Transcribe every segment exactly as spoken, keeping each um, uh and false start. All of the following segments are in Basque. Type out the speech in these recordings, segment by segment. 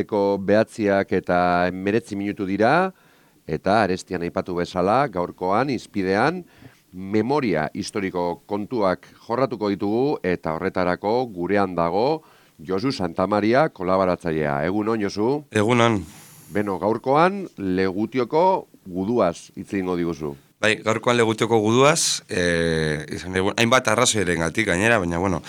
arratseko behatziak eta meretzi minutu dira, eta arestian aipatu bezala, gaurkoan, izpidean, memoria historiko kontuak jorratuko ditugu, eta horretarako gurean dago Josu Santamaria kolaboratzailea. Egunon, Josu? Egunon. Beno, gaurkoan, Legutioko guduaz hitz egingo diguzu. Bai, gaurkoan Legutioko guduaz, eh, izan egun, hainbat arrazoiren gatik gainera, baina, bueno,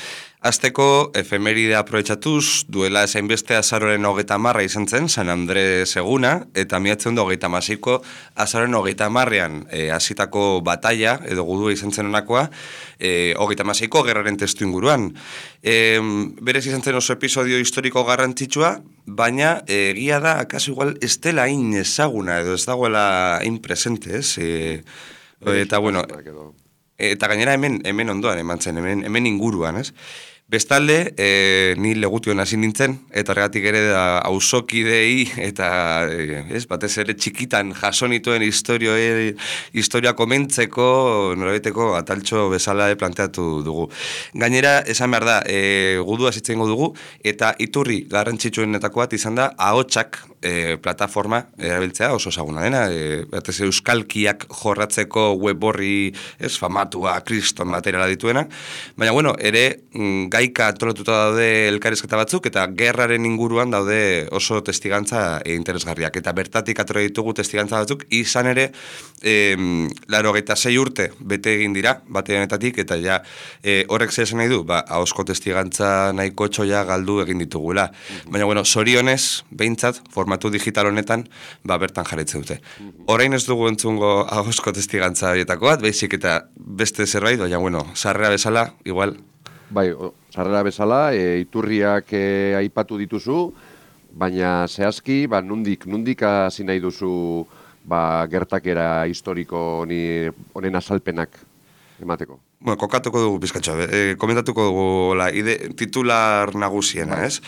azteko efemeride aprobetxatuz, duela esain beste azaroren hogeita marra izan zen, San Andres eguna, eta miatzen du hogeita masiko azaroren hogeita marrean eh, hasitako batalla, edo gudua izan zen honakoa, eh, hogeita masiko gerraren testu inguruan. Eh, berez izan zen oso episodio historiko garrantzitsua, baina egia da, akaso igual, ez dela hain ezaguna, edo ez dagoela hain presente, ez? E, eta, bueno, eta gainera hemen, hemen ondoan eman zen, hemen, hemen inguruan, ez? Bestalde, e, ni Legution hasi nintzen, eta horregatik ere da auzokidei, eta e, ez, batez ere txikitan jasonituen historio, e, historia komentzeko, norabiteko ataltxo bezala e, planteatu dugu. Gainera, esan behar da, e, gudua zitzengo dugu, eta iturri garrantzitsuenetako bat izan da, ahotsak e, plataforma erabiltzea oso ezaguna dena, e, batez euskalkiak jorratzeko web horri, ez, famatua, kriston materiala dituena, baina, bueno, ere, gaika antolatuta daude elkarrizketa batzuk, eta gerraren inguruan daude oso testigantza interesgarriak. Eta bertatik atore ditugu testigantza batzuk, izan ere, e, laro geita sei urte bete egin dira, bate honetatik, eta ja, e, horrek zer esan nahi du, ba, ahozko testigantza nahiko txoia galdu egin ditugula. Baina, bueno, zorionez, behintzat, formatu digital honetan, ba, bertan jarraitzen dute. Orain ez dugu entzungo ahozko testigantza horietako bat, baizik eta beste zerbait, baina, bueno, sarrera bezala, igual. Bai, sarrera bezala, e, iturriak e, aipatu dituzu, baina zehazki, ba, nundik, nundik hasi nahi duzu ba, gertakera historiko honi, honen azalpenak emateko. Bueno, kokatuko dugu bizkatxo, e, komentatuko dugu la, ide, titular nagusiena, ez?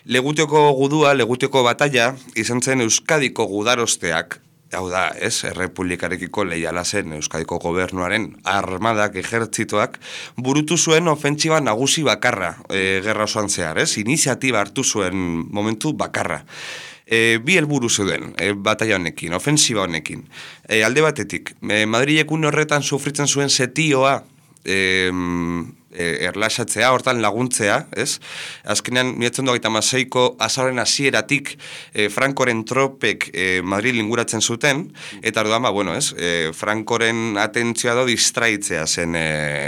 Legutioko gudua, Legutioko batalla, izan zen Euskadiko gudarosteak, hau da, ez, errepublikarekiko leiala zen Euskadiko gobernuaren armadak, ejertzitoak, burutu zuen ofentsiba nagusi bakarra, e, gerra osoan zehar, ez, iniziatiba hartu zuen momentu bakarra. E, bi helburu zeuden, e, batalla honekin, ofensiba honekin. E, alde batetik, e, Madrilek une horretan sufritzen zuen setioa, e, erlaxatzea, hortan laguntzea, ez? Azkenean, miratzen duak eta maseiko azaren hasieratik e, Frankoren tropek e, Madrid inguratzen zuten, eta orduan, ba, bueno, ez? E, Frankoren atentzioa do distraitzea zen e,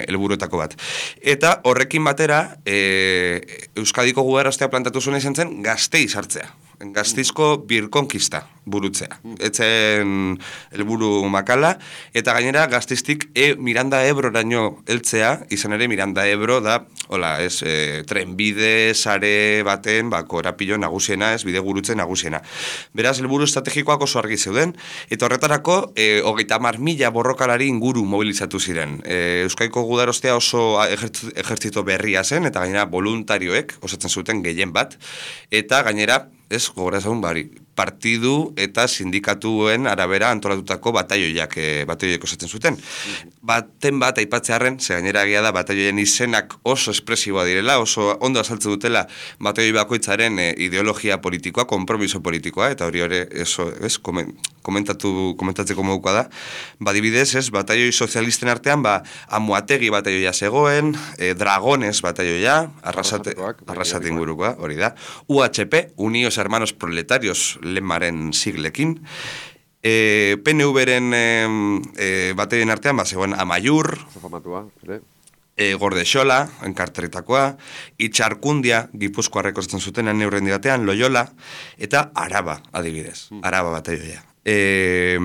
helburuetako bat. Eta horrekin batera, e, Euskadiko guberostea plantatu zuen izan zen Gasteiz hartzea. Gaztizko birkonkista burutzea. Etzen helburu makala, eta gainera Gaztiztik e, Miranda Ebroraino heltzea, izan ere Miranda Ebro da, hola, ez, e, trenbide, sare baten, ba, korapilo nagusiena, ez, bide gurutze nagusiena. Beraz, helburu estrategikoak oso argi zeuden, eta horretarako, e, hogeita hamar mila borrokalari inguru mobilizatu ziren. E, Euskaiko gudarostea oso ejertzito berria zen, eta gainera voluntarioek osatzen zuten gehien bat, eta gainera, ez, gogora ezagun, bari, partidu eta sindikatuen arabera antolatutako bataioiak, e, bataioiak osatzen zuten. Baten bat aipatzearen, ze gainera egia da bataioien izenak oso espresiboa direla, oso ondo azaltzen dutela bataioi bakoitzaren e, ideologia politikoa, konpromiso politikoa, eta hori hori, eso, ez, komen, komentatu, komentatzeko modukoa da. Badibidez, ez, bataioi sozialisten artean, ba, Amuategi bataioia zegoen, e, Dragones bataioia, arrasate, arrasate ingurukoa, hori da, U H P, Unidos Hermanos Proletarios, lemaren siglekin, e, P N V-ren e, e, bateien artean, ba, zegoen Amaiur, e, Gordexola, enkarteritakoa, Itxarkundia, Gipuzkoarrek osatzen zuten neurren dibatean, Loyola, eta Araba, adibidez, Araba bateioia. E,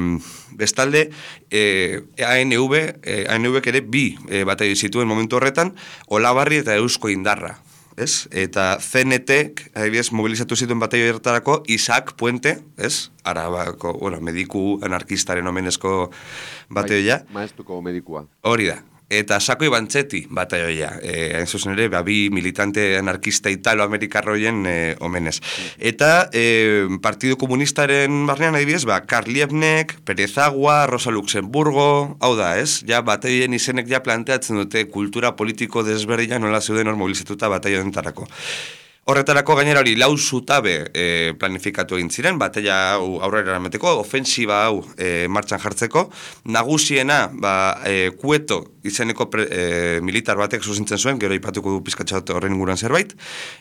bestalde, e, A N V, e, A N V ere bi e, bateio zituen momentu horretan, Olabarri eta Eusko Indarra. Ez? Eta C N T, adibidez, mobilizatu zituen bataio ertarako, Isaac Puente, ez? Arabako, bueno, mediku anarkistaren omenezko bataioia. Maestuko medikua. Hori da. Eta Sako Ibantzetti bataioia. E, hain zuzen ere, bi militante anarkista italo-amerikarroien e, omenez. Eta e, Partidu Komunistaren barnean adibidez, ba, Karl Liebknecht, Pérez Agua, Rosa Luxemburgo, hau da, ez? Ja, bataioien izenek ja planteatzen dute kultura politiko desberdina nola zeuden hor mobilizatuta bataio dentarako. Horretarako gainera hori lau zutabe e, planifikatu egin ziren, bateia hau aurrera eramateko, ofensiba hau e, martxan jartzeko, nagusiena ba, e, Kueto izeneko pre, e, militar batek zuzentzen zuen, gero ipatuko du pizkatxat horren inguruan zerbait,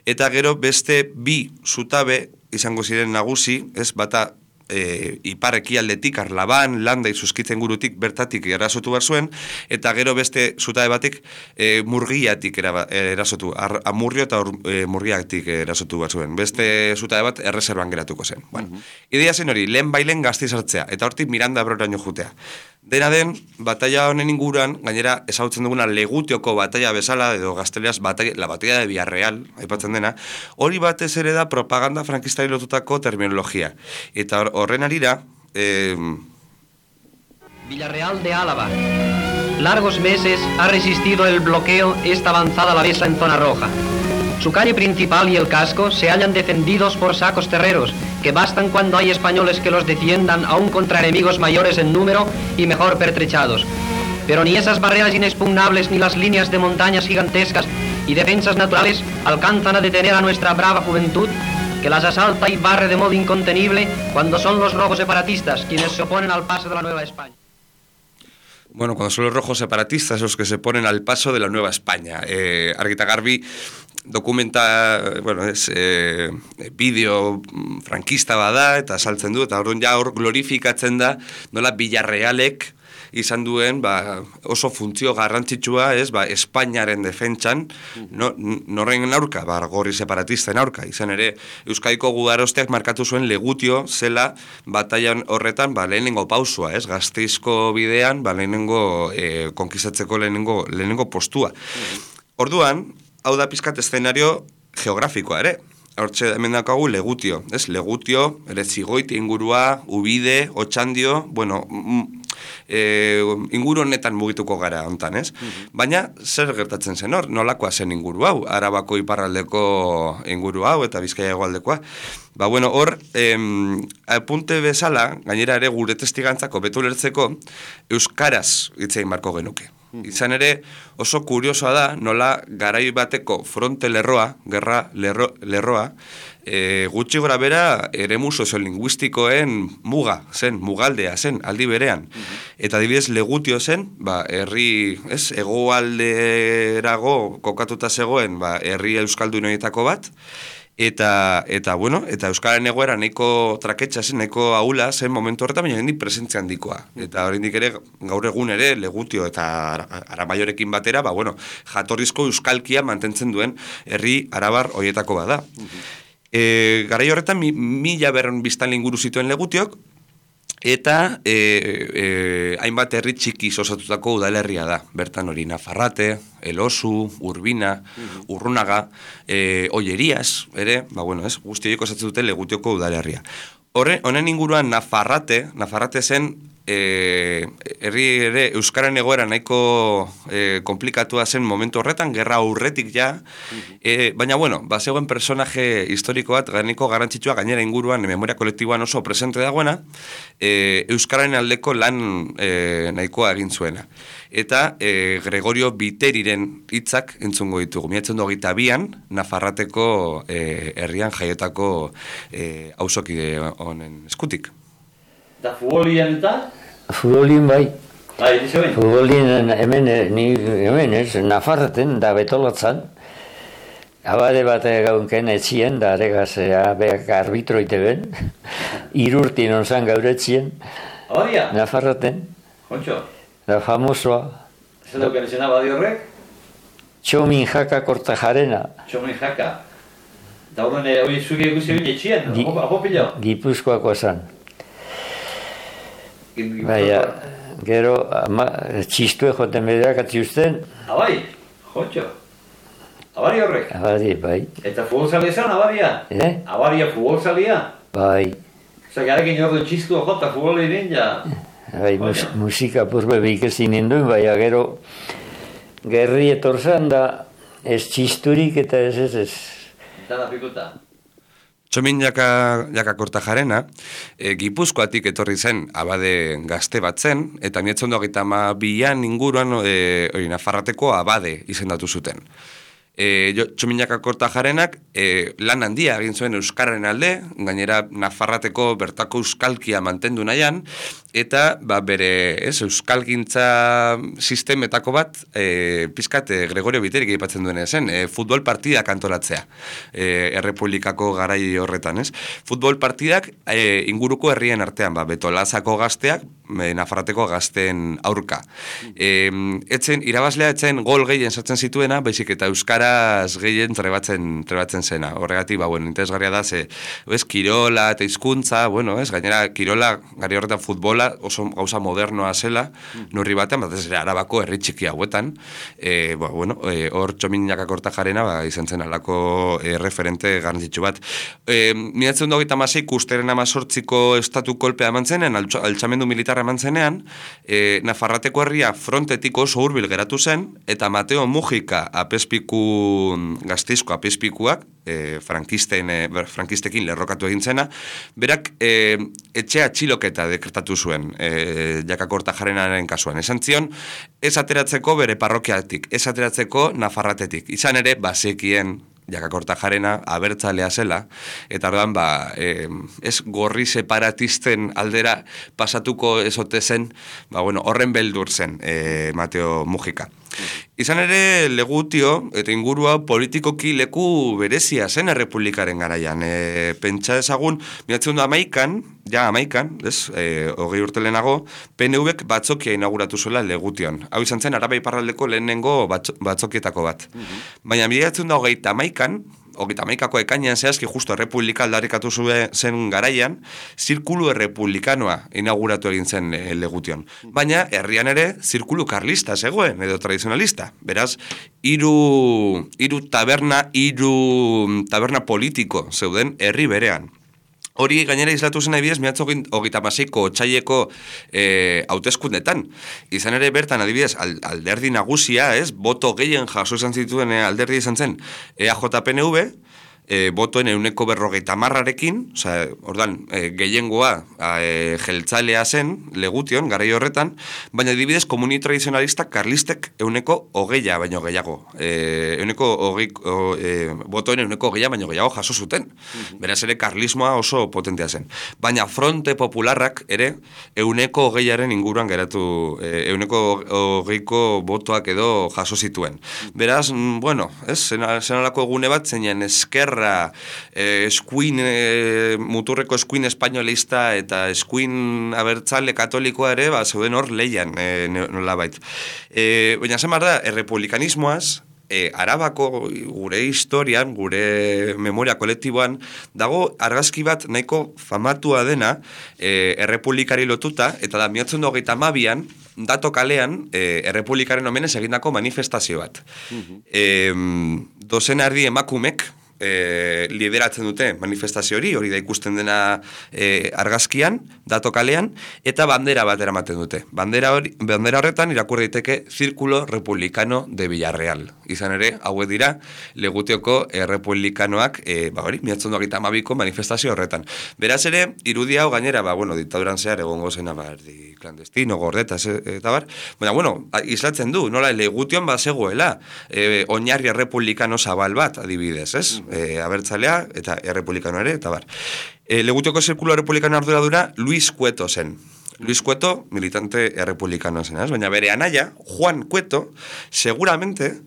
eta gero beste bi zutabe izango ziren nagusi, ez bata E, ipar ekialdetik, Arlaban, Landa izuzkitzen gurutik bertatik erasotu behar zuen, eta gero beste zutabe batik e, murgiatik era, erasotu, ar, amurrio eta or, e, murgiatik erasotu behar zuen. Beste zutabe bat erreserban geratuko zen. Bueno, uh-huh. Ideia zen hori, lehen bailen gazti sartzea, eta hortik Miranda Ebroraino jutea. Dena den, batalla honen inguruan, gainera ezagutzen duguna Legutioko batalla bezala, edo gazteleaz batalla, la batalla de Villarreal, aipatzen dena, hori batez ere da propaganda frankistari lotutako terminologia. Eta horren arira... Eh... Villarreal de Álava. Largos meses ha resistido el bloqueo esta avanzada alavesa en zona roja. Su calle principal y el casco se hallan defendidos por sacos terreros, que bastan cuando hay españoles que los defiendan aún contra enemigos mayores en número y mejor pertrechados. Pero ni esas barreras inexpugnables ni las líneas de montañas gigantescas y defensas naturales alcanzan a detener a nuestra brava juventud, que las asalta y barre de modo incontenible cuando son los rojos separatistas quienes se oponen al paso de la Nueva España. Bueno, cuando son los rojos separatistas los que se ponen al paso de la Nueva España. Eh, Argita Garbi dokumenta, bueno, es eh, bideo frankista bada, eta saltzen du, eta orduan ja hor glorifikatzen da, nola Villarrealek izan duen, ba, oso funtzio garrantzitsua, ez, ba, Espainiaren defentsan, no, norren aurka, ba, gorri separatisten aurka, izan ere, Euskadiko gudarosteak markatu zuen Legutio zela batailan horretan, ba, lehenengo pausua, ez, Gasteizko bidean, ba, lehenengo, eh, konkistatzeko lehenengo, lehenengo postua. Orduan, hau da pizkat eszenario geografikoa ere. Hortxe hemen dakagu Legutio, ez? Legutio, ere Zigoiti ingurua, Ubide, Otxandio, bueno, e, inguru honetan mugituko gara hontan, ez? Uh-huh. Baina, zer gertatzen zen hor? Nolakoa zen inguru hau? Arabako iparraldeko inguru hau eta Bizkaia hegoaldekoa. Ba, bueno, hor, em, apunte bezala, gainera ere gure testigantzako betu lertzeko, euskaraz hitzein marko genuke. Izan ere, oso kuriosoa da, nola garai bateko fronte lerroa, gerra lerro, lerroa, e, gutxi gora bera eremu soziolinguistikoen muga zen, mugaldea zen, aldi berean. Eta adibidez Legutio zen, ba, herri, ez, hegoalderago kokatuta zegoen, ba, herri euskaldunoietako bat, Eta, eta, bueno, eta Euskaren egoera nahiko traketxa zen, nahiko ahula zen momentu horretan, baina hendik presentzia handikoa. Eta oraindik ere, gaur egun ere, Legutio eta Aramaiorekin batera, ba, bueno, jatorrizko euskalkia mantentzen duen herri arabar hoietako bada. E, garai horretan, mi, mila berron biztan inguru zituen Legutiok, eta e, e, hainbat herri txiki osatutako udalerria da. Bertan hori Nafarrate, Elosu, Urbina, uh-huh. Urrunaga, e, Ollerias, ere, ba bueno, ez, guzti horiek osatzen dute Legutioko udalerria. Horre, honen inguruan Nafarrate, Nafarrate zen e, herri ere euskaren egoera nahiko e, komplikatua zen momentu horretan, gerra aurretik ja, uh-huh. e, baina bueno, ba zegoen personaje historiko bat, nahiko garrantzitsua gainera inguruan, memoria kolektiboan oso presente dagoena, e, euskaren aldeko lan e, nahikoa egin zuena. Eta e, Gregorio Biteriren hitzak entzungo ditugu. Miatzen du hogeita bian, Nafarrateko e, herrian jaiotako e, auzokide honen eskutik. Eta futbolien eta? Futbolien bai. Bai, dizo behin? Futbolien hemen, ni, hemen ez, Nafarraten da betolatzan. Abade bat gaunken etxien, da aregaz beak arbitroite ben. Irurtin onzan gauretzien. Abadia? Nafarraten. Kontxo? Da famosoa. Zer duken izena abadi horrek? Txomin Jaka Kortajarena. Txomin Jaka. Eta horren hori zuke ikusi bin etxien, apopilo? Gipuzkoako esan. Baina, gero, ama, txistue joten bedeak atziusten. Abai, Kontxo. Abari horrek? Abadi, bai. Eta futbolzalia esan, abadia? Eh? Abadia futbolzalia? Bai. Osa, garekin ordu txistua jota futbolin ja... Bai, mus, musika purbe behikesin ninduen, bai, gero gerri etorzan da ez txisturik eta ez ez ez. Eta da pikuta. Txomin jaka, jaka Kortajarena, e, Gipuzkoatik etorri zen abade gazte bat zen, eta mietzen doa gita ma bian inguruan e, ori, Nafarrateko abade izendatu zuten. E, jo, Txominaka Kortajarenak e, lan handia egin zuen euskararen alde, gainera Nafarrateko bertako euskalkia mantendu nahian, eta ba, bere ez, euskalgintza sistemetako bat, e, pizkat e, Gregorio Biterik aipatzen duen zen, e, futbol partidak antolatzea, e, Errepublikako garai horretan, ez? Futbol partidak e, inguruko herrien artean, ba, Betolazako gazteak, e, Nafarrateko gazteen aurka. E, etzen, irabazlea etzen gol gehien sartzen zituena, baizik eta euskaraz gehien trebatzen, trebatzen zena. Horregatik, ba, bueno, interesgarria da, ze, ez, kirola eta hizkuntza, bueno, ez, gainera, kirola, gari horretan futbola, oso gauza modernoa zela, nurri batean, bat ez ere Arabako herri txiki hauetan, e, ba, bueno, e, hor Txominaka Kortajarena, ba, izan zen alako e, referente garrantzitsu bat. E, Miratzen du hogeita hamasei, usteren amazortziko estatu kolpea eman zenen, altxamendu militarra eman zenean, e, Nafarrateko herria frontetik oso hurbil geratu zen, eta Mateo Mujika apespiku, gazteizko apespikuak, e, frankisten, e, frankistekin lerrokatu egin zena, berak e, etxea txiloketa dekretatu zuen, e, Jaka Kortajarenaren kasuan. Esan zion, ez ateratzeko bere parrokiatik, ez ateratzeko Nafarratetik. Izan ere, bazekien Jaka Kortajarena abertzalea zela, eta orduan, ba, e, ez gorri separatisten aldera pasatuko ezote zen, ba, bueno, horren beldur zen e, Mateo Mujika. Izan ere, Legutio eta ingurua politikoki leku berezia zen errepublikaren garaian. E, pentsa ezagun, miratzen du amaikan, ja amaikan, ez, e, hogei urte lehenago, P N Vek batzokia inauguratu zuela Legution. Hau izan zen, Araba iparraldeko lehenengo batzo, batzokietako bat. Mm-hmm. Baina miratzen da hogeita amaikan, hogeita amaikako ekainean zehazki justo errepublika aldarrikatu zuen zen garaian, zirkulu errepublikanoa inauguratu egin zen e, Legution. Baina, herrian ere, zirkulu karlista zegoen, edo tradizionalista. Beraz, hiru hiru taberna, hiru taberna politiko zeuden herri berean. Hori gainera islatu zen adibidez, miratzo hogeita hamaseiko otsaileko e, hauteskundetan. Izan ere bertan adibidez, alderdi nagusia, ez, boto gehien jaso izan zituen e, alderdi izan zen E A J P N V, e, botoen euneko berrogeita marrarekin, oza, ordan, e, gehiengoa e, jeltzalea zen, Legution, garai horretan, baina adibidez komuni tradizionalista karlistek euneko hogeia baino gehiago. E, euneko hogei, o, e, botoen euneko hogeia baino gehiago jaso zuten. Mm-hmm. Beraz ere karlismoa oso potentea zen. Baina fronte popularrak ere euneko hogeiaren inguruan geratu, e, euneko hogeiko botoak edo jaso zituen. Beraz, bueno, ez, zenalako egune bat zeinen eskerra Eh, eskuin, eh, muturreko eskuin espainolista eta eskuin abertzale katolikoa ere, ba, zeuden hor leian, eh, nolabait. Eh, Baina zemar da, errepublikanismoaz, E, Arabako gure historian, gure memoria kolektiboan, dago argazki bat nahiko famatua dena e, errepublikari lotuta, eta da miotzen hogeita hamabian, dato kalean e, errepublikaren omenez egindako manifestazio bat. Mm-hmm. E, dozen erdi emakumek, E, lideratzen dute manifestazio hori, hori da ikusten dena e, argazkian, dato kalean, eta bandera bat eramaten dute. Bandera, hori, bandera horretan irakur daiteke Círculo Republicano de Villarreal. Izan ere, hauek dira, Legutioko errepublikanoak, e, ba hori, miatzen duak eta amabiko manifestazio horretan. Beraz ere, irudia hau gainera, ba, bueno, diktaduran zehar egongo zena, ba, erdi klandestino, gordeta, eta bar, baina, bueno, islatzen du, nola, Legution bat zegoela, e, oinarri errepublikano zabal bat, adibidez, ez? E, abertzalea eta errepublikano ere, eta bar. E, Legutioko zirkulo errepublikano arduradura Luis Cueto zen. Luis Cueto, militante errepublikano zen, ez? Baina bere anaia, Juan Cueto, seguramente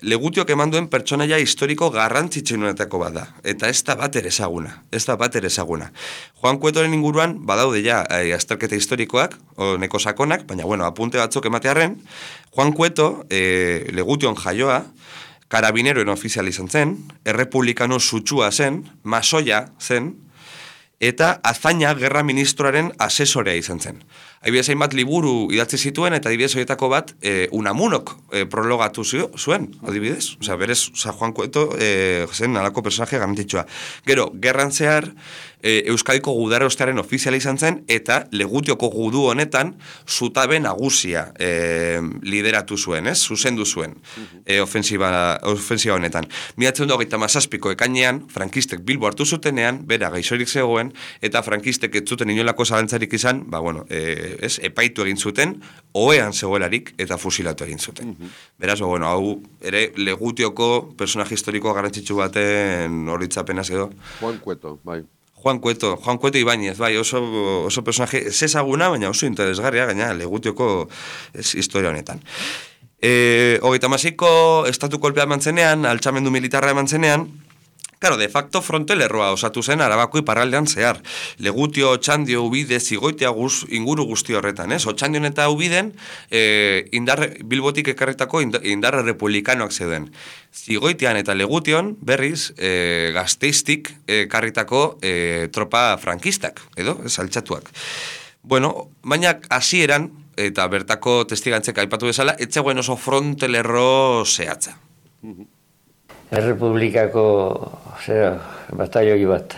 Legutiok eman duen pertsonaia historiko garrantzitsuenetako bat da. Eta ez da bat ere ezaguna. Ez da bat ere ezaguna. Juan Cuetoren inguruan badaude ja e, azterketa historikoak, o neko sakonak, baina bueno, apunte batzuk ematearren, Juan Cueto, e, Legution jaioa, karabineroen ofizial izan zen, errepublikano sutsua zen, masoia zen, eta azaina gerra ministroaren asesorea izan zen. Adibidez hainbat liburu idatzi zituen, eta adibidez horietako bat e, Unamunok e, prologatu zuen, adibidez. Osea, berez, oza, Juan Cueto e, zen alako personaje garrantzitsua. Gero, gerran zehar, e, Euskadiko gudarostearen ofiziala izan zen, eta Legutioko gudu honetan zutabe nagusia e, lideratu zuen, ez? Zuzendu zuen e, ofensiba, ofensiba honetan. Miratzen du hogeita hamazazpiko ekainean, frankistek Bilbo hartu zutenean, bera gaixorik zegoen, eta frankistek ez zuten inolako zalantzarik izan, ba, bueno, e, e, ez, epaitu egin zuten, ohean zegoelarik eta fusilatu egin zuten. Mm-hmm. Beraz, bueno, hau ere Legutioko personaje historiko garrantzitsu baten horitzapenaz edo. Juan Cueto, bai. Juan Cueto, Juan Cueto Ibáñez, bai, oso, oso personaje ez ezaguna, baina oso interesgarria, gaina Legutioko ez, historia honetan. E, hogeita hamasiko estatu kolpea eman zenean, altxamendu militarra eman zenean, claro, de facto frontelerroa osatu zen Arabako iparraldean zehar. Legutio, Otxandio, Ubide, Zigoitia guz, inguru guzti horretan, ez? Otxandion eta Ubiden e, indar, Bilbotik ekarretako indarra republikanoak zeuden. Zigoitian eta Legution, berriz, e, Gasteiztik ekarritako e, tropa frankistak, edo, ez, altxatuak. Bueno, baina hasieran eta bertako testigantzek aipatu bezala, etzegoen oso frontelerro zehatza. Errepublikako zera, bataioi bat,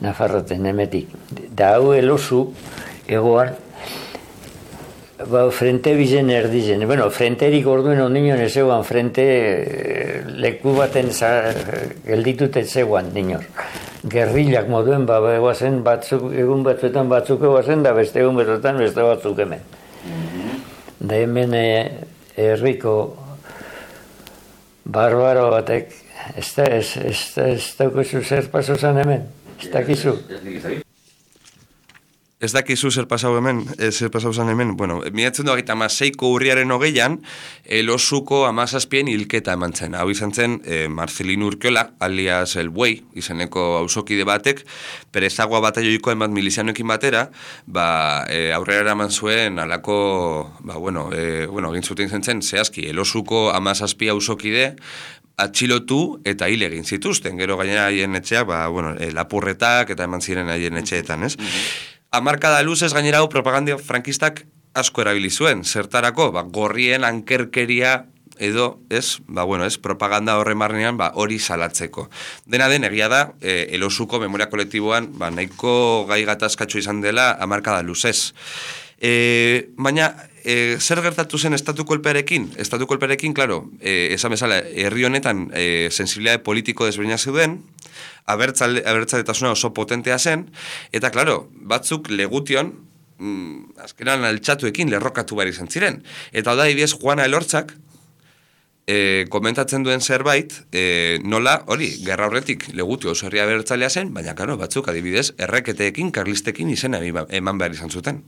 Nafarroten, emetik. Da hau elosu, egoan, ba, frente bizen erdizen. Bueno, frenterik orduen ondino ezegoan, frente leku baten gelditut etzegoan, dinor. Gerrilak moduen, ba, egoazen batzuk, egun batzuetan batzuk egoazen, da beste egun batzuetan beste batzuk hemen. Da hemen herriko barbaro batek, ez da, ez, ez, ez daukuzu zer paso zan hemen, ez dakizu. Ez dakizu zer pasau hemen, zer pasau zan hemen, bueno, miratzen duak eta amaseiko urriaren hogeian, Elosuko amazazpien hilketa eman zen. Hau izan zen, eh, Marcelino Urkiola, alias El Buey, izeneko auzokide batek, Perezagua bataioiko emat milizianoekin batera, ba, e, aurrera eraman zuen alako, ba, bueno, e, bueno, egin zuten zen zen, zehazki, Elosuko amazazpi auzokide, atxilotu eta hil egin zituzten, gero gainera haien etxeak, ba, bueno, e, lapurretak eta eman ziren haien etxeetan, ez? Hamarkada luzez gainera hau propaganda frankistak asko erabili zuen, zertarako, ba, gorrien ankerkeria edo, ez, ba, bueno, ez, propaganda horren barnean, ba, hori salatzeko. Dena den, egia da, e, Elosuko memoria kolektiboan, ba, nahiko gai gatazkatxo izan dela hamarkada luzez. E, baina, e, zer gertatu zen estatu kolpearekin? Estatu kolpearekin, klaro, e, esan bezala, herri honetan e, sensibilitate politiko desberdina zeuden, abertzale, abertzaletasuna oso potentea zen, eta, klaro, batzuk Legution, mm, azkenan altxatuekin lerrokatu behar izan ziren. Eta da, ibiez, Juana Elortzak, e, komentatzen duen zerbait, e, nola, hori, gerra horretik Legutio oso herria abertzalea zen, baina, klaro, batzuk, adibidez, erreketeekin, karlistekin izena eman behar izan zuten.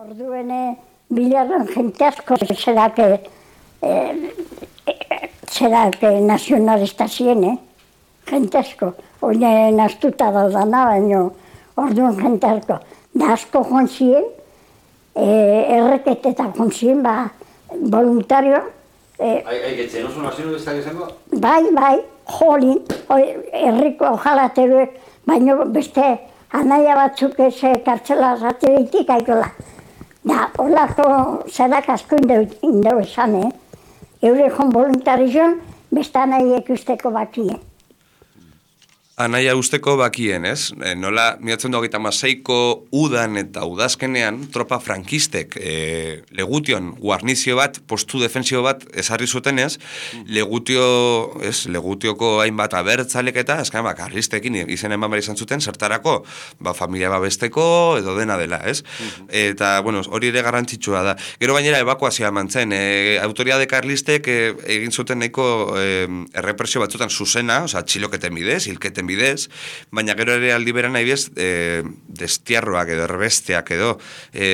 Orduene, bilarren jente asko zerake, eh, zerake nazionalista zien, eh? Jente asko, oine naztuta daudana, baina orduan jente asko. Da asko joan ziren, eh, erreketetan joan ziren, ba, voluntario. Eh, Aiketzen, oso nazionalistak izango? Bai, bai, jolin, herriko jalateruek, baina beste anaia batzuk ez kartzela ratereitik aikola. Da, horlako zerak asko indau esan, eh? Eure joan voluntarizion, beste anaiek usteko bakien. Anaia usteko bakien, ez? E, nola, miratzen du hogeita hamaseiko udan eta udazkenean, tropa frankistek e, Legution guarnizio bat, postu defensio bat ezarri zutenez, Legutio, ez, Legutioko hainbat abertzalek eta, azken, ba, karlistekin izen eman behar izan zuten, zertarako, ba, familia babesteko edo dena dela, ez? Eta, bueno, hori ere garrantzitsua da. Gero gainera ebakuazioa eman zen, e, autoridade karlistek e, egin zuten nahiko e, errepresio batzutan zuzena, oza, txiloketen bidez, hilketen bidez, baina gero ere aldi beran nahi bez, e, destiarroak edo erbesteak edo e,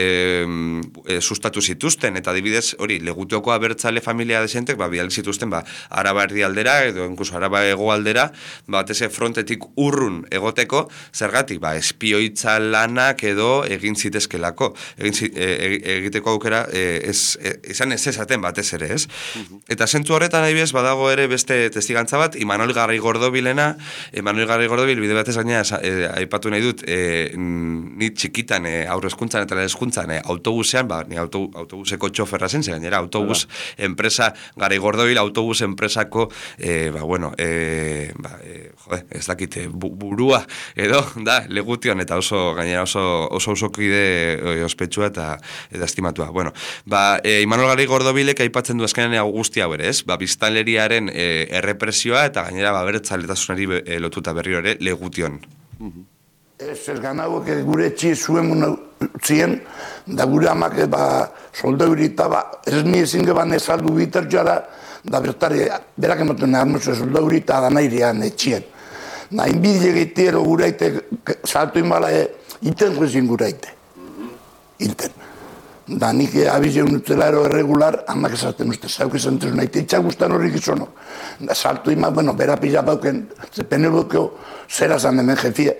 e, sustatu zituzten, eta adibidez, hori, Legutioko abertzale familia desentek, ba, bial zituzten, ba, Araba erdialdera, edo incluso Araba hegoaldera, bat eze frontetik urrun egoteko, zergatik, ba, espioitza lanak edo egin zitezkelako, egin zi, e, egiteko aukera, e, ez, e, izan ez ezaten batez ere, ez? Eta zentu horretan nahi bez, badago ere beste testigantza bat, Imanol Garaigodobilena, Imanol Garri Gordobil, bide batez gaina, e, aipatu nahi dut, e, ni txikitan, e, aurre eskuntzan eta eskuntzan, e, autobusean, ba, ni auto, autobuseko txoferra zen, ze gainera, autobus enpresa, Garri Gordobil, autobus enpresako, e, ba, bueno, e, ba, e, jode, ez dakit, bu, burua, edo, da, Legution, eta oso, gainera, oso, oso osokide e, ospetsua eta, eta estimatua. Bueno, ba, e, Imanol Garri Gordobilek aipatzen du azkenean guzti hau ere, ez? Ba, biztanleriaren e, errepresioa eta gainera, ba, bertzaletasunari e, lotuta berriro ere Legution. Ez, ez ganauak gure etxi zuen utzien, da gure amak ba, soldau irita, ba, ez ni ezin geban ezaldu bitertxoa da, da bertare, berak ematen armutzu soldau irita da nahirean etxien. Na, inbide egitero guraite, saltu inbala, iten ezin guraite. Iten. Da, nik abizeun utzela ero erregular, amak esaten uste, zauk esan tezu nahi, itxak guztan horrik izonok. Da, saltu ima, bueno, bera pila bauken, ze penelokeo, zera zan hemen jefie.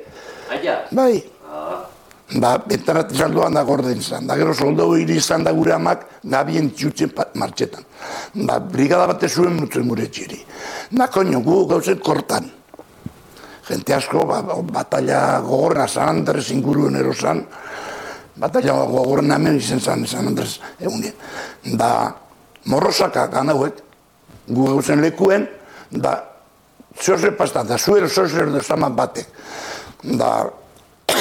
Aia? Bai. Ba, bentarat izalduan da gorden izan. Da, gero soldau hiri izan da gure amak, gabien txutzen martxetan. Ba, brigada bate zuen mutzen gure txiri. Na, koño, gu gauzen kortan. Gente asko, ba, batalla gogorna, San Andres inguruen erosan, batalla gogorna hemen izen zan, San Andres egunien. Da, morrosaka ganauek, gu gauzen lekuen, da, zoze pasta, da, zuero zoze erdo zaman batek. Da,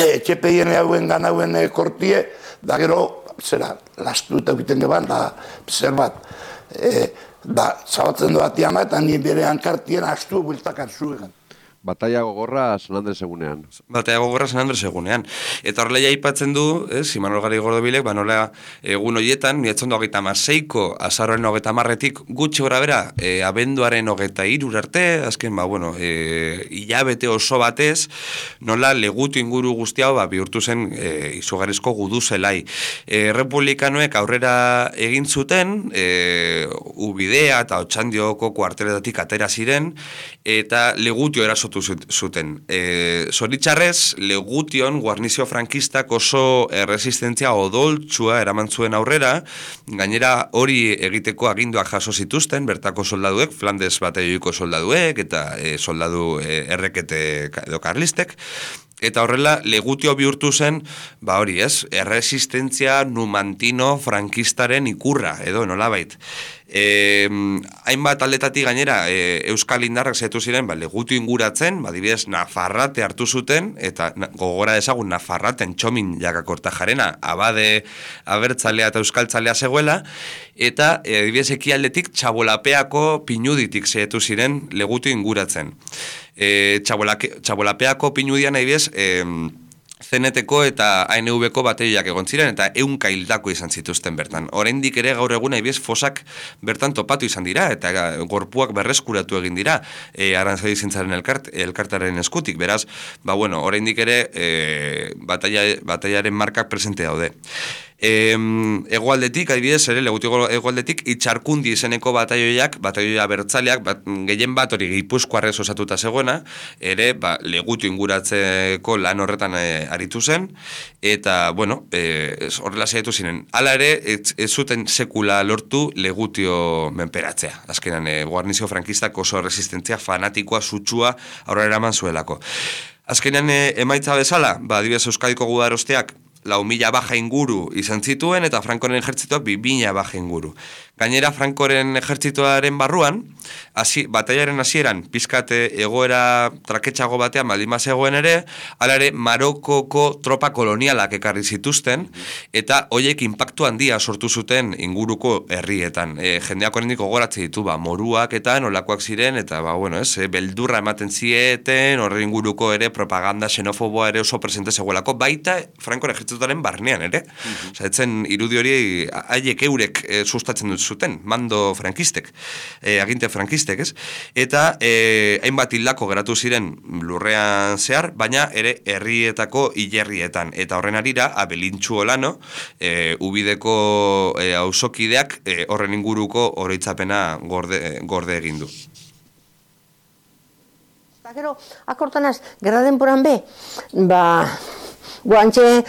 etxepeien hauen ganauen kortie, da gero, zera, lastu eta egiten geban, da, zer bat, e, da, zabatzen du bati ama, eta nien bere hankartien astu bueltakar zuegan. Batalla gogorra San Andres egunean. Batalla gogorra San Andres egunean. Eta horrela aipatzen du, ez, Imanol Gari Gordobilek, ba nola egun horietan, niretzen du hogeita marseiko, azarroaren hogeita marretik, gutxi gora bera, e, abenduaren hogeita irur arte, azken, ba, bueno, e, hilabete oso batez, nola legutu inguru guzti hau, ba, bihurtu zen e, izugarrizko gudu zelai. E, Republikanoek aurrera egin zuten, e, Ubidea eta Otxandioko kuarteletatik atera ziren, eta legutio erasotu zuten. E, Zoritxarrez, Legution guarnizio frankistak oso erresistentzia odoltsua eraman zuen aurrera, gainera hori egiteko aginduak jaso zituzten, bertako soldaduek, Flandes batalloiko soldaduek, eta e, soldadu e, errekete edo karlistek, eta horrela, Legutio bihurtu zen, ba hori ez, erresistentzia numantino frankistaren ikurra, edo nolabait. E, hainbat aldetatik gainera e, Euskal Indarrak zaitu ziren ba, Legutio inguratzen, ba, dibidez Nafarrate hartu zuten, eta na, gogora dezagun Nafarraten txomin jakakorta jarena, abade abertzalea eta euskaltzalea zegoela, eta e, dibidez ekialdetik Txabolapeako pinuditik zaitu ziren Legutio inguratzen. E, Txabolapeako pinudian nahi bez, e, Zeneteko eta A N V-ko bateioak egon ziren, eta ehunka hildako izan zituzten bertan. Oraindik ere gaur egun aibiez fosak bertan topatu izan dira, eta gorpuak berreskuratu egin dira, e, Aranzadi Zintzaren elkart, elkartaren eskutik. Beraz, ba bueno, oraindik ere e, batalla, batallaren markak presente daude. E, egoaldetik, adibidez, ere, Legutiko egoaldetik, Itxarkundi izeneko batalloiak, batalloia bertzaleak, bat, gehien bat hori Gipuzkoarrez osatuta zegoena, ere, ba, Legutio inguratzeko lan horretan e, aritu zen, eta, bueno, e, horrela zaitu ziren. Hala ere, ez, ez zuten sekula lortu Legutio menperatzea. Azkenan, e, guarnizio frankistak oso resistentzia fanatikoa, sutsua, aurrera eraman zuelako. Azkenan, e, emaitza bezala, ba, adibidez, Euskadiko gudarosteak, lau mila baja inguru izan zituen, eta Frankoren ejertzituak bi mila baja inguru. Gainera, Frankoren ejertzituaren barruan, hasi, batallaren hasieran pizkate egoera traketxago batean baldin bazegoen ere, hala ere Marokoko tropa kolonialak ekarri zituzten, eta hoiek inpaktu handia sortu zuten inguruko herrietan. E, jendeak oraindik gogoratzen ditu, ba, moruak eta nolakoak ziren, eta ba, bueno, ez, e, beldurra ematen zieten, horre inguruko ere propaganda xenofoboa ere oso presente zegoelako, baita Frankoren ejertzituaren barnean ere. Mm-hmm. Osa, etzen irudi hori haiek eurek e, sustatzen dut zuten, mando frankistek, e, aginte frankistek, ez? Eta e, hainbat hildako geratu ziren lurrean zehar, baina ere herrietako hilerrietan. Eta horren arira, Abelintxu Olano, e, Ubideko e, auzokideak e, horren inguruko oroitzapena gorde, gorde egin du. Eta gero, akortanaz, gerra denporan be, ba... Guantxe,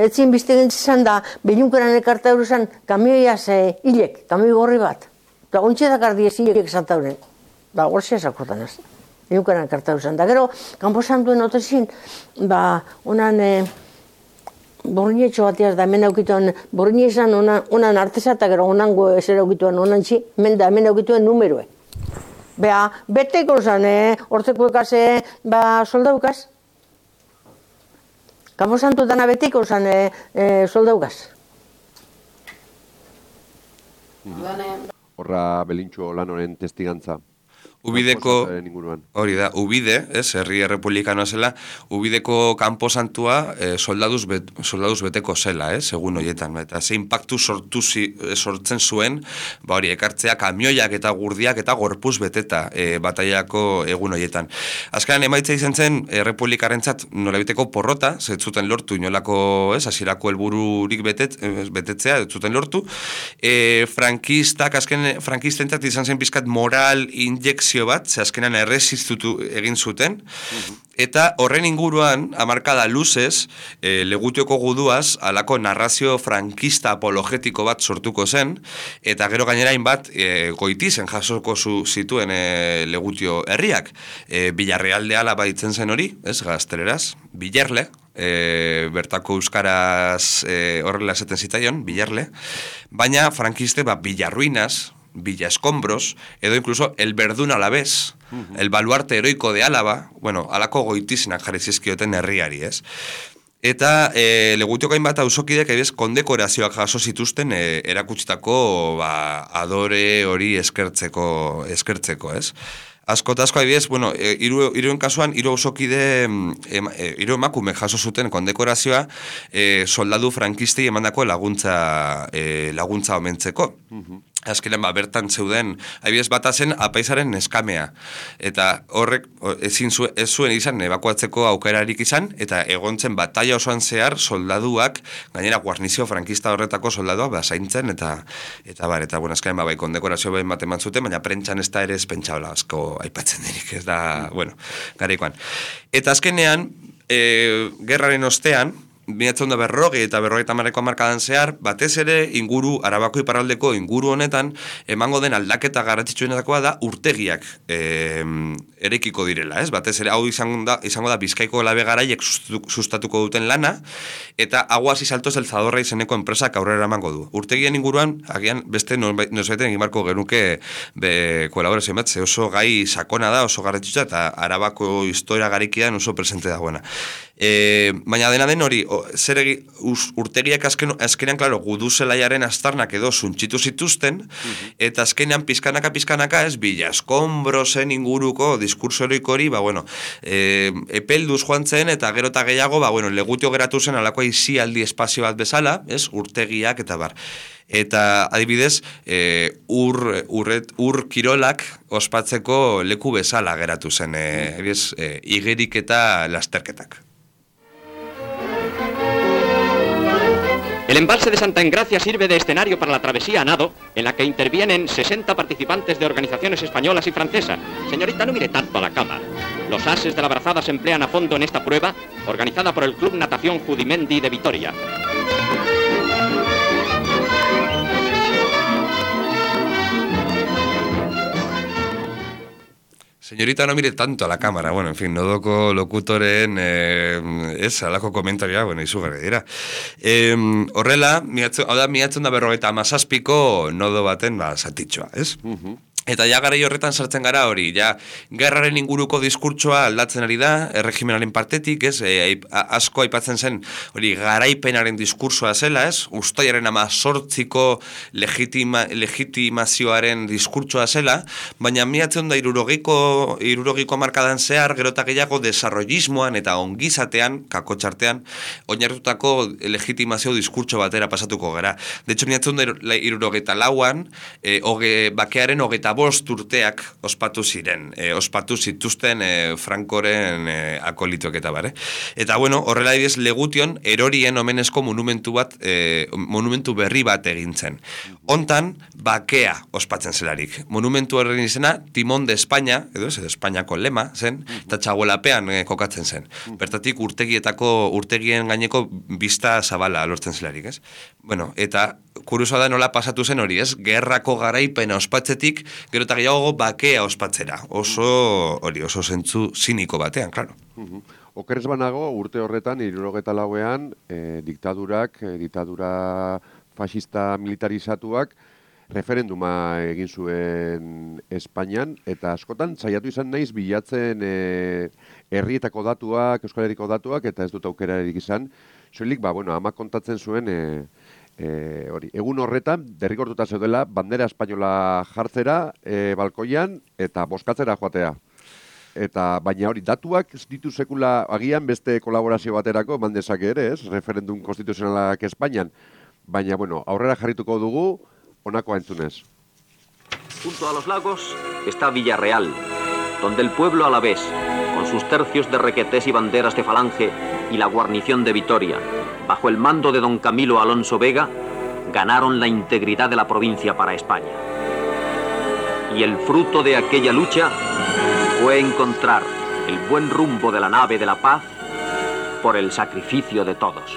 etzin bizte gintzen da, Beñunkeran ekarta euruzan, kamioiaz hilek, kamioi gorri bat. Eta gontxe dakar diez hilek esanta euren. Ba, gorzia zakortan ez. Beñunkeran ekarta euruzan. Da gero, kanposan duen otezin, ba, onan, e, borrinetxo batiaz da, hemen aukituen, borrinezan onan, onan arteza, eta gero onango ezer aukituen onan txi, hemen da, hemen aukituen numerue. Bea, beteko zan, e, hortzeko ekaz, e, ba, soldaukaz. Kampo santu dana betiko zan e, e, soldaugaz. Horra Belintxu Olanoren testigantza. Ubideko, hori da, Ubide, ez, herri errepublikanoa zela, Ubideko kanposantua eh, soldaduz, bet, soldaduz beteko zela, ez, egun horietan, eta ze impactu sortu zi, sortzen zuen, ba hori, ekartzea kamioiak eta gurdiak eta gorpuz beteta eh, bataiako egun horietan. Azkenan emaitza izan zen, errepublikarentzat nolabiteko porrota, zetzuten lortu, inolako, ez, hasierako helbururik betet, betetzea, zetzuten lortu, e, frankistak, azken frankistentzat izan zen pizkat moral injekzio bat, ze azkenan erresistutu egin zuten, eta horren inguruan, hamarkada luzez, e, Legutioko guduaz, alako narrazio frankista apologetiko bat sortuko zen, eta gero gainerain bat, e, goitizen jasoko zu, zituen e, Legutio herriak. E, Villarrealde Alaba itzen zen hori, ez, gazteleraz, Villarle, E, bertako euskaraz e, horrela esaten zitaion, Villarle, baina frankiste, ba, Villarruinas, Villa Escombros, edo incluso el Verdún Alavés, uh-huh. el baluarte heroico de Álava, bueno, alako goitizenak jarri zizkioten herriari, ez? Eta e, Legutioko hainbat auzokideak ebez kondekorazioak jaso zituzten e, erakutsitako ba, adore hori eskertzeko, eskertzeko, ez? Asko eta asko adibidez, bueno, e, iru, iruen kasuan, hiru ausokide, e, hiru emakume jaso zuten kondekorazioa e, soldadu frankistei emandako laguntza, e, laguntza omentzeko. Uh-huh. Azkenean, ba, bertan zeuden, adibidez bata zen apaizaren neskamea. Eta horrek ezin zu, ez zuen izan ebakuatzeko aukerarik izan, eta egontzen bataia osoan zehar soldaduak, gainera guarnizio frankista horretako soldaduak basaintzen, eta, eta bar, eta bueno, azkenean, ba, bai, kondekorazio behin bat eman zuten, baina prentxan ez da ere ez pentsabla asko aipatzen denik, ez da, bueno, garaikoan. Eta azkenean, e, gerraren ostean, Binatzen da berroge eta berrogeita hamarreko hamarkadan zehar, batez ere inguru, Arabako iparraldeko inguru honetan, emango den aldaketa garrantzitsuenetakoa da urtegiak e, erekiko direla, ez? Batez ere hau izango da, izango da Bizkaiko labe garaiek sustatuko duten lana, eta Aguas y Saltos del Zadorra izeneko enpresak aurrera emango du. Urtegien inguruan, agian beste nozaiten egin barko genuke be kolaborazio bat, ze oso gai sakona da, oso garrantzitsua, eta Arabako historia garikian oso presente dagoena. E, baina dena den hori, o, zer egi, us, urtegiak azken, azkenean, klaro, gudu zelaiaren astarnak edo zuntxitu zituzten, uh-huh. eta azkenean pizkanaka pizkanaka ez, Villa Escombrosen inguruko diskurso heroiko hori, ba, bueno, e, epelduz joan zen, eta gero eta gehiago, ba, bueno, Legutio geratu zen alako izialdi espazio bat bezala, ez, urtegiak eta bar. Eta adibidez, e, ur, urret, ur kirolak ospatzeko leku bezala geratu zen, e, ebiz, e, igerik eta lasterketak. El embalse de Santa Engracia sirve de escenario para la travesía a nado, en la que intervienen sesenta participantes de organizaciones españolas y francesas. Señorita, no mire tanto a la cámara. Los ases de la brazada se emplean a fondo en esta prueba, organizada por el Club Natación Judimendi de Vitoria. Señorita, no mire tanto a la cámara. Bueno, en fin, nodoko lokutoren eh, ez, alako komentarioa, bueno, izugarri dira. Eh, horrela, hau da, miatzen da berrogeita amazazpiko nodo baten, ba, zatitxoa, ez? Uh-huh. Eta ja garai horretan sartzen gara hori, ja gerraren inguruko diskurtsoa aldatzen ari da, erregimenaren partetik, ez, e, asko aipatzen zen hori garaipenaren diskursoa zela, ez, ustaiaren amazortziko legitima, legitimazioaren diskurtsoa zela, baina miatzen da irurogiko, irurogiko markadan zehar, gero eta gehiago desarrollismoan eta ongizatean, kakotxartean, oinartutako legitimazio diskurtso batera pasatuko gara. De hecho, miatzen da irurogeita lauan, e, oge, bakearen hogeita bost urteak ospatu ziren, e, ospatu zituzten e, Frankoren e, akolituak eta bare. Eta bueno, horrela idez Legution erorien omenezko monumentu bat, e, monumentu berri bat egintzen. Hontan, bakea ospatzen zelarik. Monumentu horren izena, Timón de España, edo ez, Espainiako lema zen, eta txagolapean e, kokatzen zen. Bertatik urtegietako, urtegien gaineko bista zabala lortzen zelarik, ez? Bueno, eta kuriosoa da nola pasatu zen hori, ez? Gerrako garaipena ospatzetik, gero eta gehiago bakea ospatzera. Oso, hori, oso zentzu ziniko batean, klaro. Uh-huh. Okerez banago, urte horretan, hirurogeta lauean, eh, diktadurak, eh, diktadura fascista militarizatuak, referenduma egin zuen Espainian, eta askotan saiatu izan naiz bilatzen eh, herrietako datuak, Euskal Herriko datuak, eta ez dut aukerarik izan, soilik, ba, bueno, ama kontatzen zuen, eh, E, hori, egun horretan, derrigortuta zeudela, bandera espainola jartzera e, balkoian eta boskatzera joatea. Eta baina hori, datuak ez ditu sekula agian beste kolaborazio baterako eman dezake ere, ez? Referendum konstituzionalak Espainian. Baina, bueno, aurrera jarrituko dugu, honako entzunez. Junto a los lagos está Villarreal, donde el pueblo alavés, con sus tercios de requetés y banderas de falange y la guarnición de Vitoria, bajo el mando de don Camilo Alonso Vega, ganaron la integridad de la provincia para España. Y el fruto de aquella lucha fue encontrar el buen rumbo de la nave de la paz por el sacrificio de todos.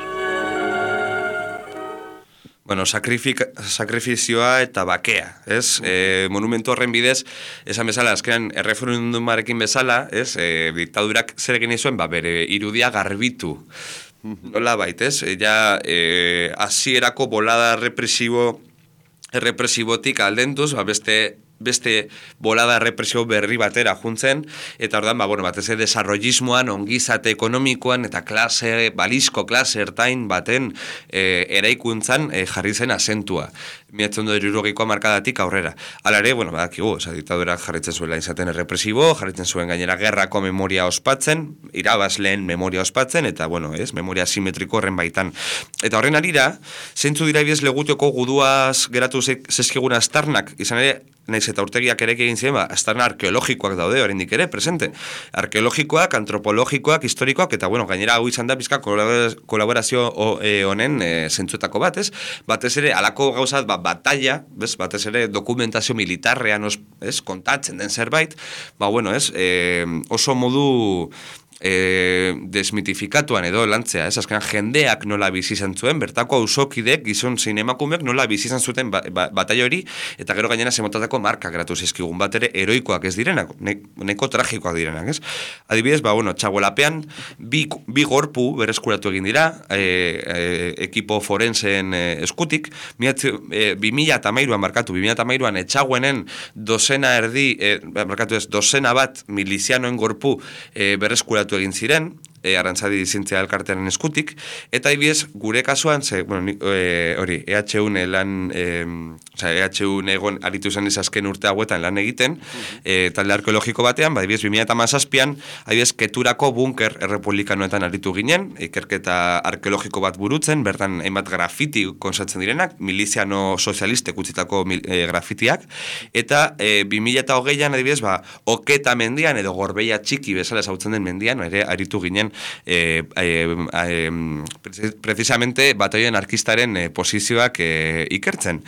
Bueno, sakrifizioa eta bakea, ez? E, monumentu horren bidez, esan bezala, azkenan erreferendumarekin bezala, ez? E, diktadurak zer egin zuen, ba, bere irudia garbitu. Nola bait, ez? E, ja, e, hasierako bolada represibo, represibotik aldenduz, ba, beste beste bolada represio berri batera juntzen, eta ordan, ba, bueno, batez desarrollismoan, ongizate ekonomikoan, eta klase, balizko klase ertain baten e, eraikuntzan e, jarri zen asentua. Miratzen du irurogikoa markadatik aurrera. Hala ere, bueno, badakigu, oza, diktadurak jarritzen zuela izaten errepresibo, jarritzen zuen gainera gerrako memoria ospatzen, irabazleen memoria ospatzen, eta, bueno, ez, memoria simetriko horren baitan. Eta horren arira, zeintzu dira ibiez legutioko guduaz geratu zezkigun astarnak, izan ere, naiz eta urtegiak ere egin ziren, ba, astarna arkeologikoak daude, oraindik ere, presente. Arkeologikoak, antropologikoak, historikoak, eta, bueno, gainera hau izan da bizka kolaborazio honen e, zentzuetako bat, ez? Batez ere, alako gauzat, ba, batalla, bez, batez ere, dokumentazio militarrean, os, ez, kontatzen den zerbait, ba, bueno, ez, e, oso modu E, desmitifikatuan edo lantzea, ez, azkenan jendeak nola bizi izan zuen, bertako auzokidek, gizon zein emakumeak nola bizi izan zuten ba, ba, bataio hori, eta gero gainera zemotatako marka geratu zizkigun, bat ere heroikoak ez direnak, ne, neko tragikoak direnak, ez? Adibidez, ba, bueno, txaguelapean, bi, bi gorpu berreskuratu egin dira, e, e, ekipo forensen e, eskutik, e, bi mila eta hamairuan markatu, bi mila eta hamairuan etxaguenen dozena erdi, e, markatu ez, dozena bat milizianoen gorpu e, berreskuratu egin ziren, e, Arantzadi zientzia elkartearen eskutik, eta ibiez, gure kasuan, ze, bueno, e, hori, E H U lan, e, oza, E H U egon aritu zen azken urte hauetan lan egiten, e, talde arkeologiko batean, ba, ibiez, bi mila hamazazpian, ibiez, Keturako bunker errepublikanoetan aritu ginen, ikerketa arkeologiko bat burutzen, bertan hainbat grafiti konsatzen direnak, miliziano sozialistek utzitako e, grafitiak, eta e, bi mila hogeian, adibidez, ba, Oketa mendian, edo Gorbeia txiki bezala zautzen den mendian, ere aritu ginen eh, eh, eh, precisamente bataioen arkistaren eh, posizioak eh, ikertzen.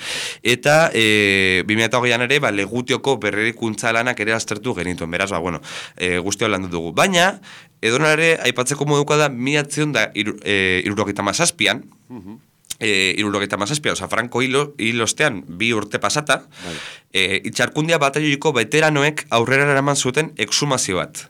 Eta eh, bi mila hogeian ere, ba, Legutioko berrerikuntza lanak ere aztertu genituen, beraz, ba, bueno, eh, guztio landu dugu. Baina, edona ere, aipatzeko moduko da, miatzion da iru, eh, irurogeita mazazpian, uh-huh. E, irurogeita mazazpia, oza, Franco hilo, hilostean bi urte pasata, vale. e, itxarkundia bataioiko veteranoek aurrera eraman zuten exhumazio bat.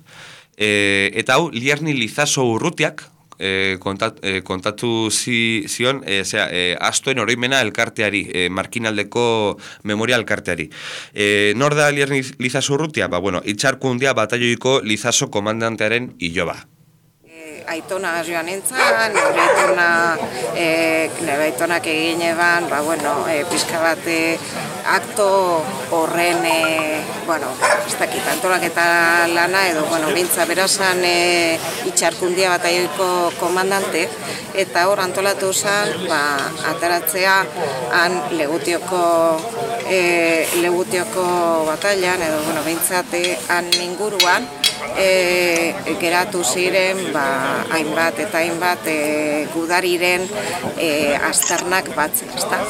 E, eta hau, Lierni Lizaso Urrutiak e, kontat, e, kontatu zi, zion, e, zera, e, astoen oroimena elkarteari, e, Markinaldeko memoria elkarteari. E, nor da Lierni Lizaso Urrutia? Ba, bueno, itxarkundia bataioiko Lizaso komandantearen iloba. Aitona joan nintzen, nire aitona, e, nire aitonak egin eban, ba, bueno, e, pizka bat e, akto horren, e, bueno, ez dakit, antolaketa lana, edo, bueno, bintza berazan e, itxarkundia bataioiko komandante, eta hor antolatu zen, ba, ateratzea, han Legutioko, e, Legutioko batailan, edo, bueno, bintzate, han inguruan, E, geratu ziren ba, hainbat eta hainbat e, gudariren e, aztarnak batzen, ezta?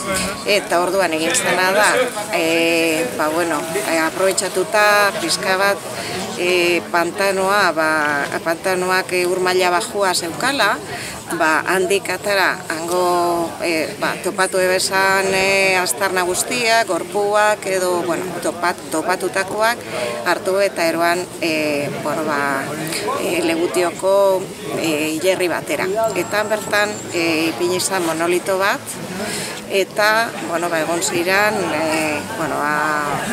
Eta orduan egin zena da, e, ba, bueno, e, aprobetxatuta pizka bat e, pantanoa, ba, pantanoak e, urmaila bajua zeukala, ba, handik atara, hango e, ba, topatu ebesan e, aztarna guztiak, gorpuak edo, bueno, topat, topatutakoak hartu eta eroan e, bueno, ba, e, Legutioko e, hilerri batera. Eta bertan e, ipini izan monolito bat, eta, bueno, ba, egon ziren, e, bueno, ba,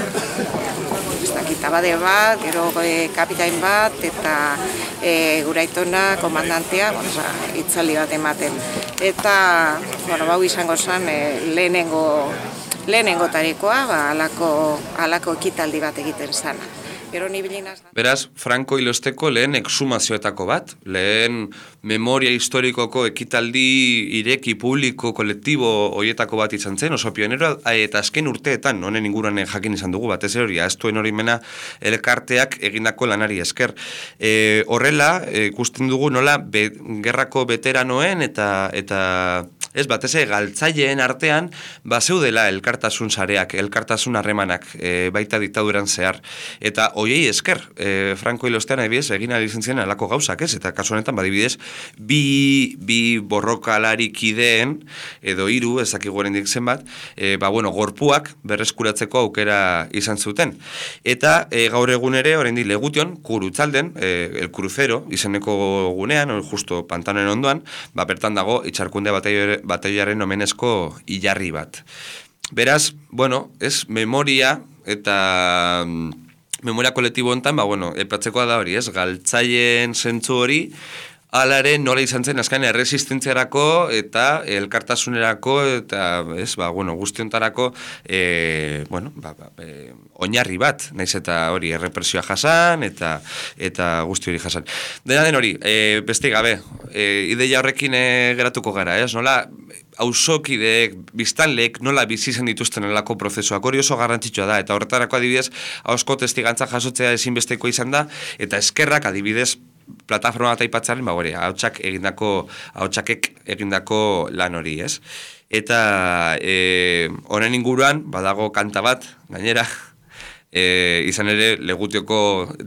ez dakit, eta bade bat, gero e, kapitain bat, eta e, gure aitona, komandantea, bueno, oza, itzaldi bat ematen. Eta, bueno, bau izango zen e, lehenengo, lehenengo tarikoa, ba, alako, alako ekitaldi bat egiten zana. Gero nibilinaz... Beraz, Franco Ilosteko lehen exhumazioetako bat, lehen memoria historikoko ekitaldi ireki publiko kolektibo hoietako bat izan zen, oso pionero, eta azken urteetan, honen inguruan jakin izan dugu, batez hori, aztuen hori mena elkarteak egindako lanari esker. E, horrela, ikusten dugu nola, be, gerrako veteranoen eta... eta ez, batez galtzaileen artean, ba zeudela elkartasun sareak, elkartasun harremanak, e, baita diktaduran zehar. Eta hoiei esker, e, Franco Ilostean adibidez, egin ari zen alako gauzak, ez? Eta kasu honetan, badibidez, bi, bi borrokalari kideen, edo hiru, ezakigu oraindik zenbat, e, ba, bueno, gorpuak berreskuratzeko aukera izan zuten. Eta e, gaur egun ere, oraindik Legution, Kurutzalden, e, el Crucero, izeneko gunean, justo pantanoen ondoan, ba, bertan dago, itxarkunde bataio batailaren omenezko ilarri bat. Beraz, bueno, ez memoria eta memoria kolektibo hontan, ba bueno, epatzekoa da hori, ez? Galtzaileen zentzu hori alare nola izan zen azken erresistentziarako eta elkartasunerako eta, ez, ba bueno, guztiontarako eh bueno, ba, ba e, oinarri bat, naiz eta hori errepresioa jasan eta eta guzti hori jasan. Dena den hori, e, beste gabe, e, ideia horrekin e, geratuko gara, ez? Nola auzokideek, biztanleek nola bizi izan dituzten elako prozesuak hori oso garrantzitsua da, eta horretarako adibidez ahozko testigantza jasotzea ezinbesteko izan da, eta eskerrak adibidez plataforma bat aipatzaren, ba hori, ahotsak egindako, ahotsakek egindako lan hori, ez? Eta e, honen inguruan badago kanta bat, gainera, E, izan ere Legutioko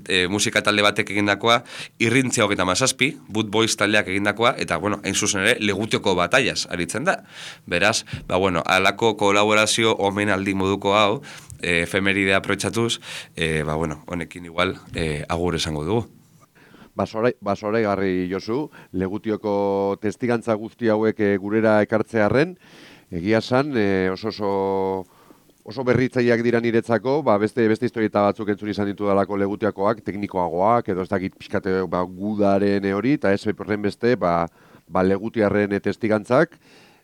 e, musika talde batek egindakoa, irrintzia hogeita mazazpi, Boot Boys taldeak egindakoa, eta bueno, hain zuzen ere Legutioko bataiaz aritzen da. Beraz, ba bueno, alako kolaborazio omenaldi moduko hau, e, efemeridea aprobetxatuz, e, ba bueno, honekin igual e, agur esango dugu. Basorai garri Josu, Legutioko testigantza guzti hauek e, gurera ekartzearren, egia esan e, oso oso oso berritzaileak dira niretzako, ba, beste beste historieta batzuk entzun izan ditu dalako Legutiakoak, teknikoagoak, edo ez dakit pixkate ba, gudaren hori, eta ez horren beste, ba, ba Legutiarren testigantzak,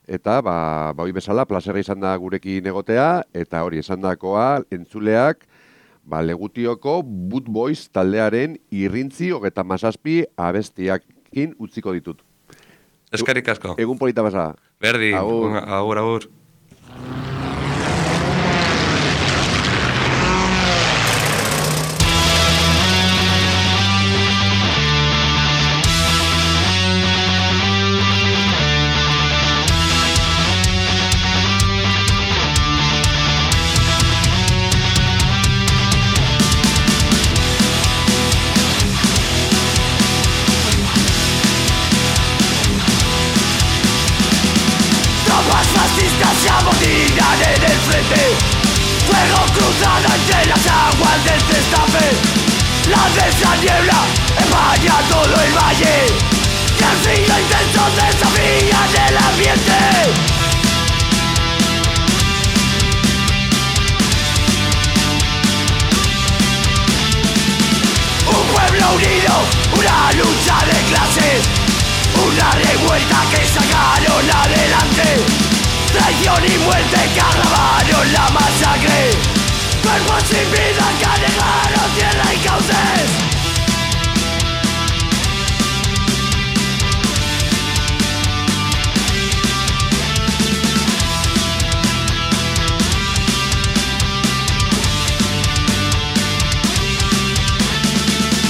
eta ba, ba hori bezala, plazerra izan da gurekin egotea, eta hori esan dakoa, entzuleak, ba, Legutioko Boot Boys taldearen irrintzi hogeita mazazpi abestiakin utziko ditut. Eskerrik asko. Egun polita basa. Berdi, agur, agur. agur. Se amotinan en el frente, fuego cruzado entre las aguas del destape. La densa niebla empaña todo el valle y el frío intenso desafía el ambiente. Un pueblo unido, una lucha de clases, una revuelta que sacaron adelante. Traición y muerte que agravaron la masacre. Cuerpos sin vida que anegaron tierra y cauces.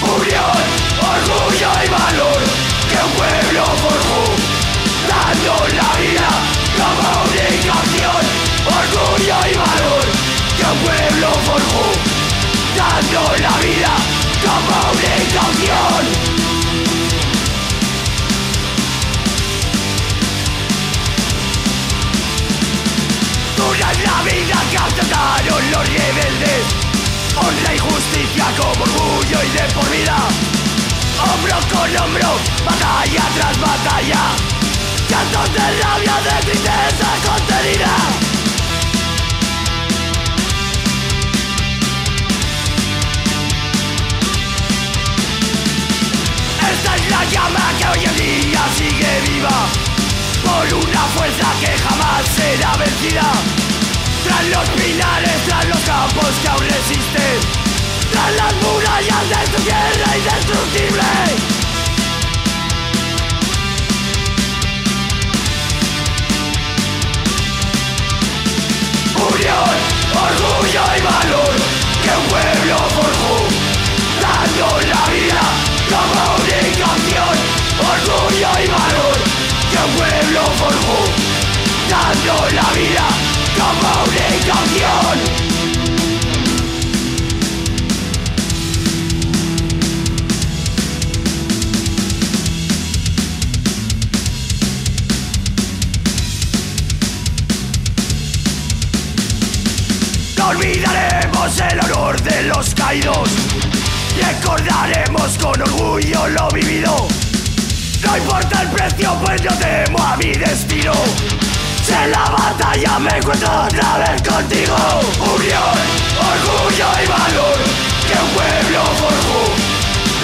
Unión, orgullo y valor que un pueblo forjó, dando la vida como única acción, orgullo y valor que un pueblo forjó, dando la vida como única acción. Dura es la vida que alcanzaron los rebeldes, honra y justicia como orgullo y de por vida, hombro con hombro, batalla tras batalla. Llantos de rabia, de tristeza contenida. llama que hoy en día sigue viva por una fuerza que jamás será vencida. Tras los pinares, tras los campos que aún resisten, tras las murallas de tu tierra indestructible. Unión, orgullo y valor que un pueblo forjó, dando la vida como única opción. Orgullo y valor que un pueblo forjó, dando la vida como única opción. No olvidaremos el honor de los caídos, recordaremos con orgullo lo vivido. No importa el precio, pues yo temo a mi destino. Si en la batalla me encuentro otra vez contigo. Unión, orgullo y valor que un pueblo forjó,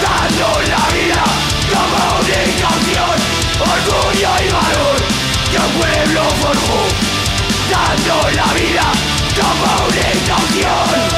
dando la vida como única opción. Orgullo y valor que un pueblo forjó, dando la vida como única opción.